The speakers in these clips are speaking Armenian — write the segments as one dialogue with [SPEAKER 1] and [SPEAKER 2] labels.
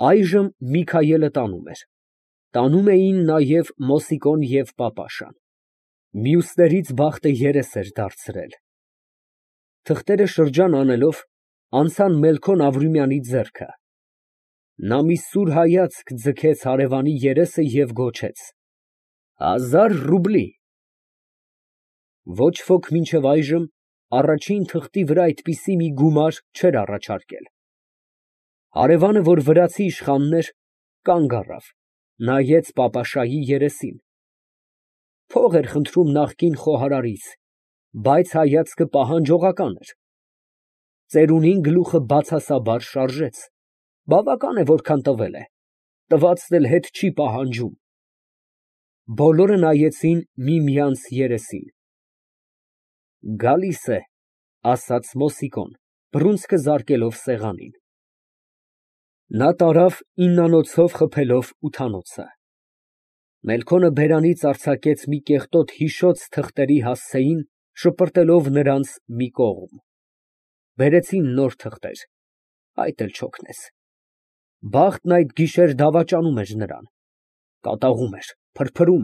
[SPEAKER 1] Այժմ Միքայելը տանում էր։ Տանում էին նաև Մոսիկոն և պապաշան։ Մյուսներից բախտը երես էր դարձրել։ Թղթերը շրջան անելով, անցան Մելքոն Ավրումյանի ձեռքը։ Նա մի սուր հայացք ձգեց հարևանի երեսը և գոչեց. 1000 ռուբլի։ Ոչ ոք մինչև այժմ առաջին թղթի վրա այդպիսի մի գումար չէր առաջարկել։ Հարևանը, որ վրացի իշխանն էր, կանգ առավ, նայեց պապաշայի երեսին։ Փող էր խնդրում նախկին խոհարարից, բայց հայացքը պահանջողական էր։ Ծերունին գլուխը բացասաբար շարժեց։ Բավական է, որքան տվել է, տվածն էլ հետ չի պահանջում։ Բոլորը նայեցին միմյանց երեսին։ Գալիս է, ասաց Մոսիկոն, բռունցքը զարկելով սեղանին։ Նա տարավ իննանոցով խփելով ութանոցը։ Մելքոնը բերանից արձակեց մի կեղտոտ հիշոց թղթերի հասցեին, շպրտելով նրանց մի կողմ։ Բերեցին նոր թղթեր, այդ էլ չօգնեց։ Բախտն այդ գիշեր դավաճանում էր նրան, կատաղում էր, փրփրում,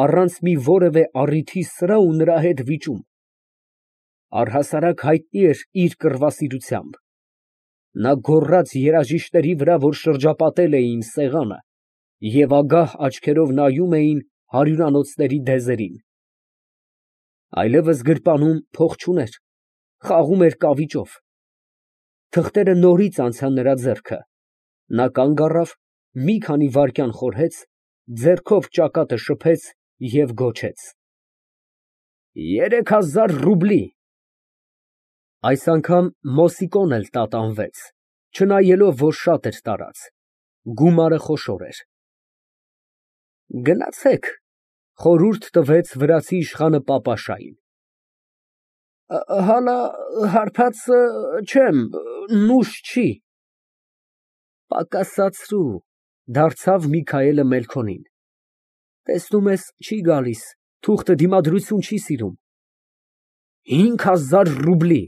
[SPEAKER 1] առանց մի որևէ առիթի սրա ու նրա հետ վիճում։ Առհասարակ հայտնի էր իր կռվասիրությամբ։ Նա գոռաց երաժիշտների վրա, որ շրջապատել էին սեղանը և ագահ աչքերով նայում էին հարյուրանոցների դեզերին։ Այլևս գրպանում փող չուներ, խաղում էր կավիճով։ Թղթերը նորից անցան նրա ձեռքը։ Նա կանգ առավ, մի քանի վայրկյան խորհեց, ձեռքով ճակատը շփեց և գոչեց. 3000 ռուբլի։ Այս անգամ Մոսիկոն էլ տատանվեց, չնայելով, որ շատ էր տարած։ Գումարը խոշոր էր։ Գնացեք, խորհուրդ տվեց վրացի իշխանը պապաշային։ Հալա հարբած չեմ, նուշ չի։ Պակասացրու, դարձավ Միքայելը Մելքոնին։ Տեսնում ես, չի գալիս, թուղթը դիմադրություն չի սիրում։ 5000 ռուբլի,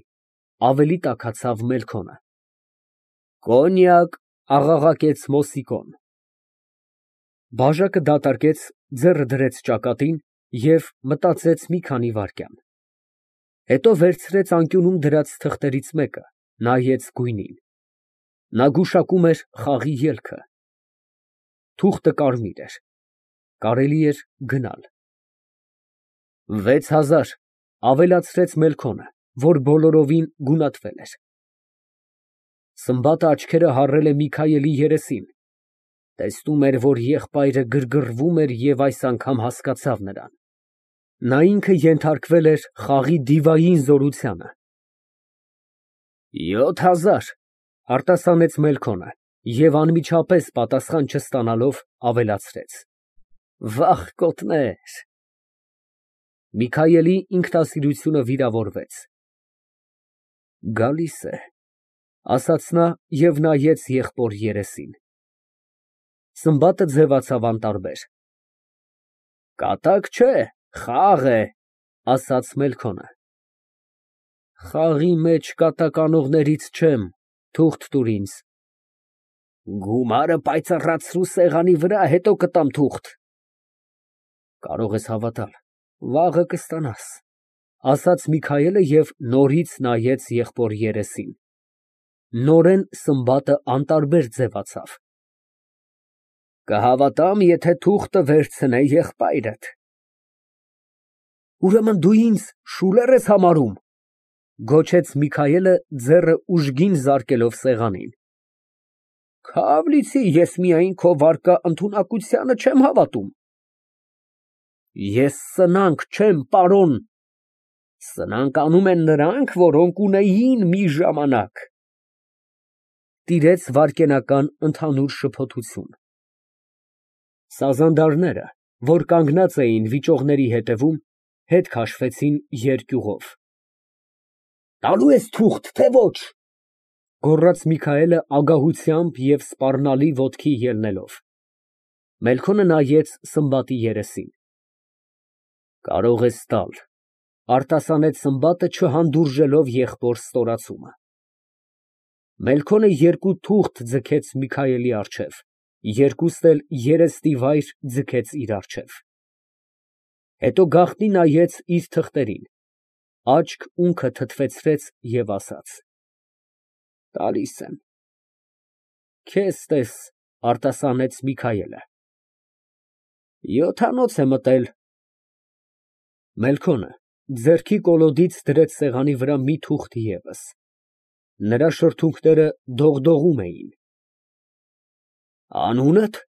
[SPEAKER 1] ավելի տաքացավ Մելքոնը։ Կոնյակ, աղաղակեց Մոսիկոն։ Բաժակը դատարկեց, ձեռը դրեց ճակատին և մտածեց մի քանի վայրկյան։ Հետո վերցրեց անկյունում դրած թղթերից մեկը, նայեց գույնին։ Նա գուշակում էր խաղի ելքը։ Թուղթը կարմիր էր, կարելի էր գնալ։ 6000, ավելացրեց Մելքոնը, որ բոլորովին գունատվել էր։ Սմբատը աչքերը հառել է Միքայելի երեսին, տեսնում էր, որ եղբայրը գրգռվում էր և այս անգամ հասկացավ նրան։ Նա ինքը ենթարկվել էր խաղի դիվային զորությանը։ 7000, արտասանեց Մելքոնը և անմիջապես պատասխան չստանալով, ավելացրեց. Վախկոտներ։ Միքայելի ինքնասիրությունը վիրավորվեց։ Գալիս է, ասաց նա և նայեց եղբոր երեսին։ Սմբատը ձևացավ անտարբեր։ Կատակ չէ, խաղ է, ասաց Մելքոնը։ Խաղի մեջ կատակ անողներից չեմ, թուղթ տուր ինձ։ Գումարը պայծառացրու սեղանի վրա, հետո կտամ թուղթ։ Կարող ես հավատալ, վաղը կստանաս, ասաց Միքայելը և նորից նայեց եղբոր երեսին։ Նորեն սմբատը անտարբեր ձևացավ։ Կհավատամ, եթե թուղթը վերցնե եղբայրդ։ Ուրեմն դու ինձ շուլեր ես համարում, գոչեց Միքայելը, ձեռը ուժգին զարկելով սեղանին։ Քավ լիցի, ես միայն քո վարկա ընդունակությանը չեմ հավատում։ Ես սնանկ չեմ, պարոն։ Սնանկ անում են նրանք, որոնք ունեին մի ժամանակ։ Տիրեց վայրկենական ընդհանուր շփոթություն։ Սազանդարները, որ կանգնած էին վիճողների ետևում, հետ քաշվեցին երկյուղով։ Տալո՞ւ ես թուղթ, թե ոչ, գոռաց Միքայելը ագահությամբ և սպառնալի ոտքի ելնելով։ Մելքոնը նայեց սմբատի երեսին։ Կարող ես տալ, արտասանեց սմբատը, չհանդուրժելով եղբոր ստորացումը։ Մելքոնը երկու թուղթ ձգեց Միքայելի առջև, երկուստ էլ երեստի վայր ձգեց իր առջև, հետո գաղտնի նայեց իր թղթերին, աչք ունքը թթվեցրեց և ասաց. «Տալիս եմ»։ «Քեզ տես», արտասանեց Միքայելը։ «7-անոց է մտել»։ Մելքոնը ձեռքի կոլոդից դրեց սեղանի վրա մի թուղթ ևս, նրա շրթունքները դողդողում էին։ «Անո՞ւնդ»։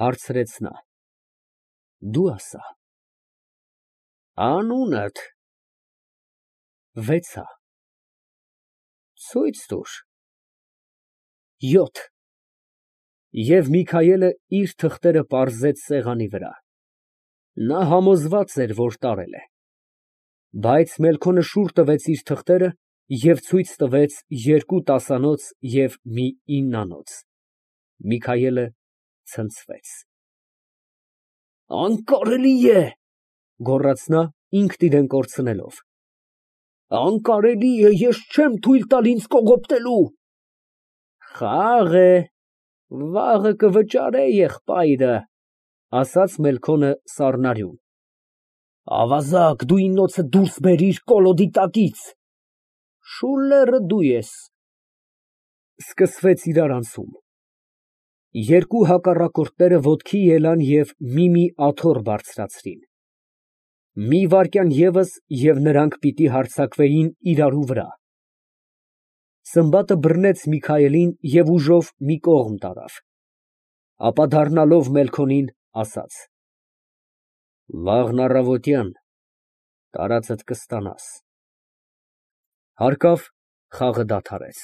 [SPEAKER 1] հարցրեց նա։ «Դու ասա»։ «Անունդ»։ 6-ա։ «Ցույց տուր»։ 7։ Եվ Միքայելը իր թղթերը պարզեց սեղանի վրա։ Նա համոզված էր, որ տարել է։ Բայց Մելքոնը շուռ տվեց իր թղթերը և ցույց տվեց երկու 10-անոց և մի 9-անոց։ Միքայելը ցնցվեց։ «Անկարելի է», գոռաց նա, ինքն իրան կորցնելով։ «Անկարելի է, ես չեմ թույլ տալ ինձ կողոպտելու»։ «Խաղ է, վաղը կվճարե եղբայրը», ասաց Մելքոնը սառնարյուն։ «Ավազակ, դու ինձնոցը դուրս բերիր կոլոդի տակից»։ «Շուլլերը դու ես»։ Սկսվեց իրարանցում։ Երկու հակառակորդները ոտքի ելան և մի աթոռ բարձրացրին։ Մի վայրկյան ևս, և նրանք պիտի հարձակվեին իրարու վրա։ Սմբատը բռնեց Միքայելին և ուժով մի կողմ տարավ, ապա դառնալով Մելքոնին, ասաց. «Վաղն առավոտյան տարածդ կստանաս»։ Հարկավ, խաղը դադարեց։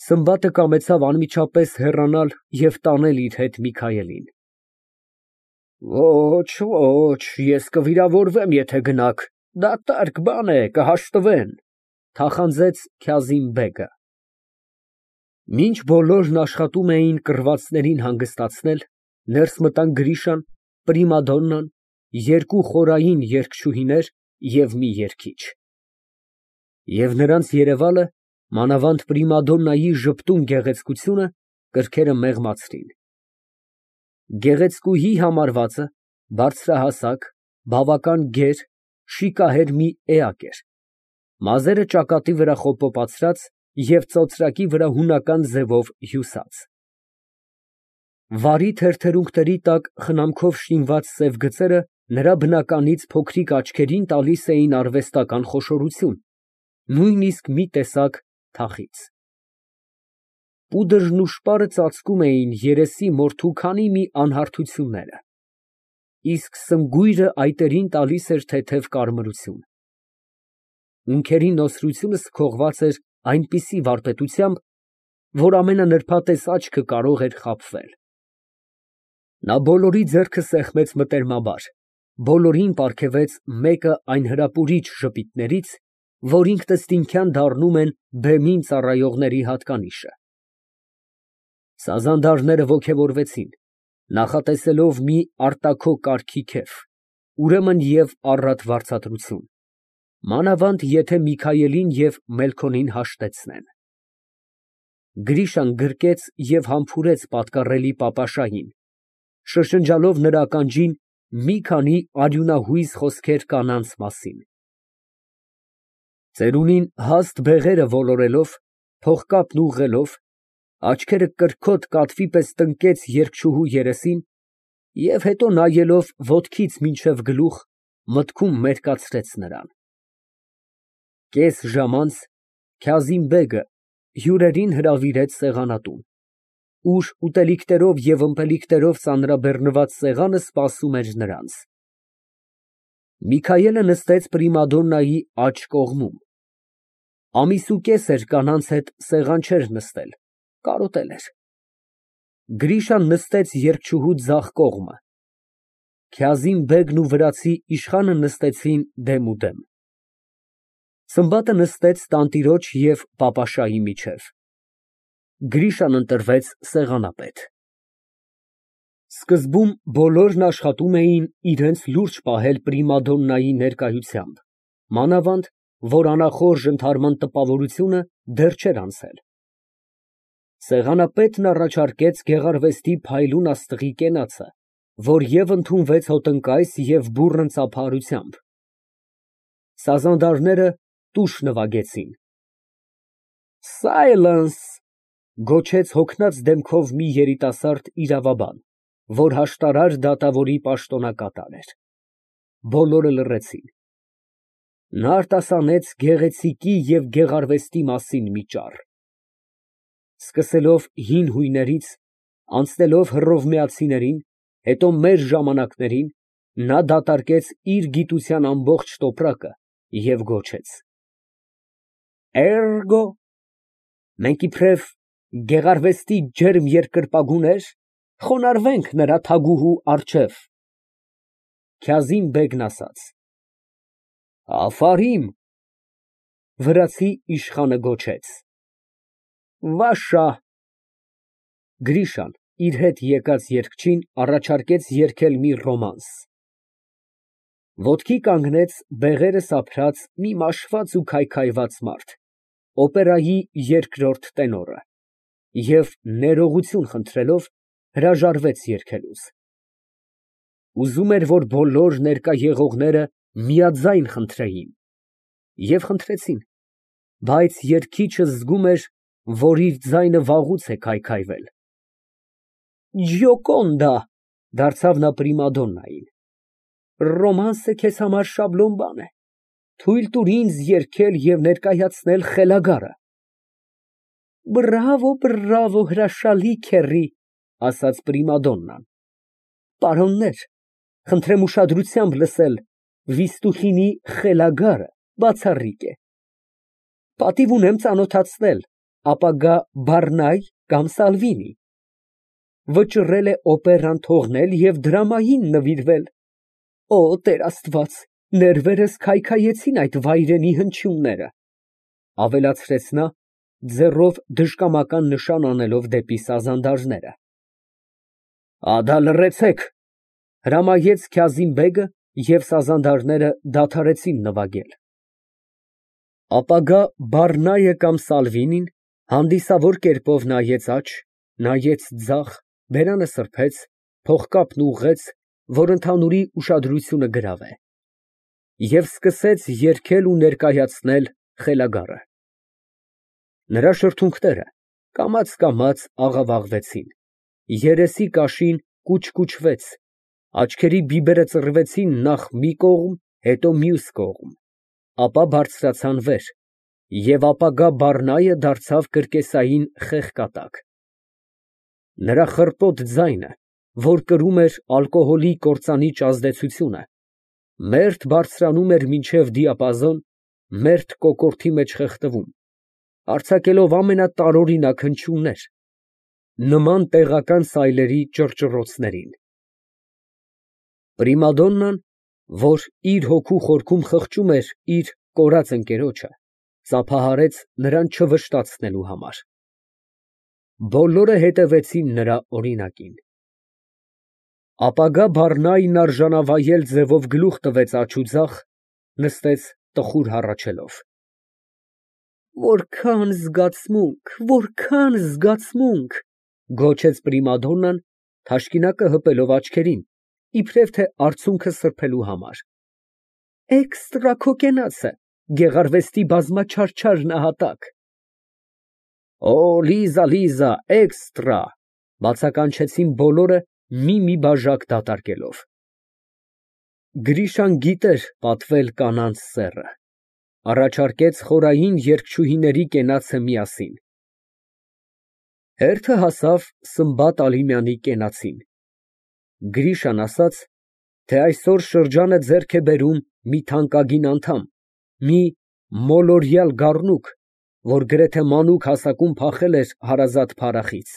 [SPEAKER 1] Սմբատը կամեցավ անմիջապես հեռանալ և տանել իր հետ Միքայելին։ «Ոչ, ոչ, ես կվիրավորվեմ, եթե գնաք, դատարկ բան է, կհաշտվեն», թախանձեց Քազիմ֊բեգը։ Մինչ բոլորն աշխատում էին կռվածներին հանգստացնել, ներս մտան Գրիշան, պրիմադոննան, երկու խորային երգչուհիներ և մի երգիչ։ Եվ նրանց երևալը, մանավանդ պրիմադոննայի ժպտուն գեղեցկությունը, կրքերը մեղմացրին։ Գեղեցկուհի համարվածը բարձրահասակ, բավական գեր, շիկահեր մի էակ էր, մազերը ճակատի վրա խոպոպացրած և ծոծրակի վրա հունական ձևով հյուսած։ Վարի թեթերունքների տակ խնամքով շինված սև գծերը նրա բնականից փոքրիկ աչքերին տալիս էին արվեստական խոշորություն, նույնիսկ մի տեսակ թախիծ։ Պուդրն ու շպարը ծածկում էին երեսի մորթու քանի մի անհարթությունները, իսկ սմգույրը այտերին տալիս էր թեթև կարմրություն։ Ունքերի նոսրությունը սքողված էր այնպիսի վարպետությամբ, որ ամենանրբատես աչքը կարող էր խաբվել։ Նա բոլորի ձեռքը սեղմեց մտերմաբար, բոլորին պարգևեց մեկը այն հրապուրիչ ժպիտներից, որ ինքնըստինքյան դառնում են բեմին ծառայողների հատկանիշը։ Սազանդարները ոգևորվեցին, նախատեսելով մի արտաքո կարգի քեֆ, ուրեմն և առատ վարձատրություն, մանավանդ եթե Միքայելին և Մելքոնին հաշտեցնեն։ Գրիշան գրկեց և համբուրեց պատկառելի պապաշային, շշնջալով նրա ականջին մի քանի արյունահույզ խոսքեր կանանց մասին։ Ծերունին հաստ բեղերը ոլորելով, փողկապն ուղղելով, աչքերը կրքոտ կատվի պես տնկեց երգչուհու երեսին և հետո նայելով ոտքից մինչև գլուխ, մտքում մերկացրեց նրան։ Կես ժամ անց Քազիմ֊բեգը հյուրերին հրավիրեց սեղանատուն, ուր ուտելիքներով և ըմպելիքներով ծանրաբեռնված սեղանը սպասում էր նրանց։ Միքայելը նստեց պրիմադոննայի աջ կողմում։ Ամիսուկես էր կանանց հետ սեղան չէր նստել, կարոտել էր։ Գրիշան նստեց երգչուհու ձախ կողմը, Քազիմ֊բեգն ու վրացի իշխանը նստեցին դեմուդեմ։ Սմբատը նստեց տանտիրոջ և պապաշայի միջև։ Գրիշան ընտրվեց սեղանապետ։ Սկզբում բոլորն աշխատում էին իրենց լուրջ պահել պրիմադոննայի ներկայությամբ, մանավանդ որ անախորժ ընդհարման տպավորությունը դեռ չէր անցել։ Սեղանապետն առաջարկեց գեղարվեստի փայլուն աստղի կենացը, որ և ընդունվեց հոտնկայս և բուռն ծափահարությամբ։ Սազանդարները տուշ նվագեցին։ «Սայլենս», գոչեց հոգնած դեմքով մի երիտասարդ իրավաբան, որ հաշտարար դատավորի պաշտոնակատար էր։ Բոլորը լռեցին։ Նա արտասանեց գեղեցիկի և գեղարվեստի մասին մի ճառ։ Սկսելով հին հույներից, անցնելով հռովմեացիներին, հետո մեր ժամանակներին, նա դատարկեց իր գիտության ամբողջ տոպրակը և գոչեց. «Էրգո, մենք իբրև գեղարվեստի ջերմ երկրպագուներ խոնարհվենք նրա թագուհու առջև»։ Քազիմ֊բեգն ասաց. «Աֆարիմ»։ Վրացի իշխանը գոչեց. «Վաշա»։ Գրիշան իր հետ եկած երգչին առաջարկեց երգել մի ռոմանս։ Ոտքի կանգնեց բեղերը սափրած մի մաշված ու քայքայված մարդ, օպերայի երկրորդ տենորը, և ներողություն խնդրելով հրաժարվեց երգելուց։ Ուզում էր, որ բոլոր ներկա եղողները միաձայն խնդրեին, և խնդրեցին, բայց երգիչը զգում էր, որ իր ձայնը վաղուց է քայքայվել։ «Ջիոկոնդա», դարձավ նա պրիմադոննային, «ռոմանսը քեզ համար շաբլոն բան է, թույլ տուր ինձ երգել և ներկայացնել խելագարը»։ «Բրավո, բրավո, հրաշալի քեռի», ասաց պրիմադոննան։ «Պարոններ, խնդրեմ ուշադրությամբ լսել, Վիստուխինի խելագարը բացառիկ է։ Պատիվ ունեմ ծանոթացնել, ապագա Բարնայ կամ Սալվինի։ Վճռել է օպերան թողնել և դրամային նվիրվել։ Օ, Տեր Աստված, ներվերս քայքայեցին այդ վայրենի հնչյունները», ավելացրեց նա, ձեռով դժկամական նշան անելով դեպի սազանդարները։ «Ադա լռեցեք», հրամայեց Քազիմ֊բեգը, և սազանդարները դադարեցին նվագել։ Ապագա Բարնայը կամ Սալվինին հանդիսավոր կերպով նայեց աջ, նայեց ձախ, բերանը սրբեց, փողկապն ուղղեց, որ ընդհանուրի ուշադրությունը գրավե, և սկսեց երգել ու ներկայացնել խելագարը։ Նրա շրթունքները կամաց աղավաղվեցին, երեսի կաշին կուչկուչվեց, աչքերի բիբերը ծռվեցին նախ մի կողմ, հետո մյուս կողմ, ապա բարձրացան վեր, և ապագա Բարնայը դարձավ կրկեսային խեղկատակ։ Նրա խռպոտ ձայնը, որ կրում էր ալկոհոլի կործանիչ ազդեցությունը, մերթ բարձրանում էր մինչև դիապազոն, մերթ կոկորդի մեջ խեղդվում, արձակելով ամենատարօրինակ հնչյուններ, նման տեղական սայլերի ճռճռոցներին։ Պրիմադոննան, որ իր հոգու խորքում խղճում էր իր կորած ընկերոջը, ծափահարեց նրան չվշտացնելու համար։ Բոլորը հետևեցին նրա օրինակին։ Ապագա Բարնային արժանավայել ձևով գլուխ տվեց աջ ու ձախ, նստեց տխուր հառաչելով։ «Որքան զգացմունք, որքան զգացմունք», գոչեց պրիմադոննան, թաշկինակը հպելով աչքերին, իբրև թե արցունքը սրբելու համար։ «Էկստրա քո կենացը, գեղարվեստի բազմաչարչար նահատակ»։ «Օ, Լիզա, Լիզա, էկստրա», բացականչեցին բոլորը մի բաժակ դատարկելով։ Գրիշան գիտեր պատվել կանանց սեռը, առաջարկեց խորային երգչուհիների կենացը միասին։ Հերթը հասավ Սմբատ Ալիմյանի կենացին։ Գրիշան ասաց, թե այսօր շրջանը ձեռք է բերում մի թանկագին անդամ, մի մոլորյալ գառնուկ, որ գրեթե մանուկ հասակում փախել էր հարազատ փարախից։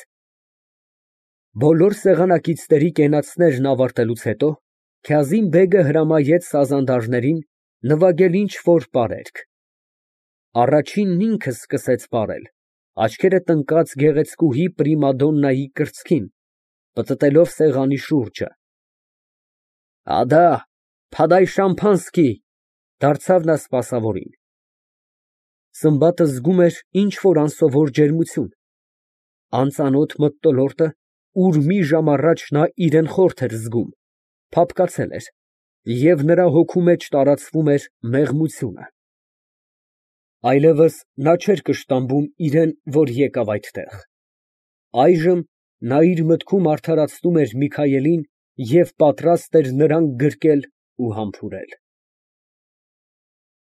[SPEAKER 1] Բոլոր սեղանակիցների կենացներն ավարտելուց հետո Քազիմ֊բեգը հրամայեց սազանդարներին նվագել ինչ֊որ պարերգ։ Առաջինն ինքը սկսեց պարել, աչքերը տնկած գեղեցկուհի պրիմադոննայի կրծքին, պտտելով սեղանի շուրջը։ «Ադա, փադայ շամփանսկի», դարձավ նա սպասավորին։ Սմբատը զգում էր ինչ֊որ անսովոր ջերմություն, անծանոթ մթնոլորտը, ուր մի ժամ առաջ նա իրան խորթ էր զգում, փափկացել էր, և նրա հոգու մեջ տարածվում էր մեղմությունը։ Այլևս նա չէր կշտամբում իրան, որ եկավ այդտեղ. այժմ նա իր մտքում արդարացնում էր Միքայելին և պատրաստ էր նրան գրկել ու համբուրել։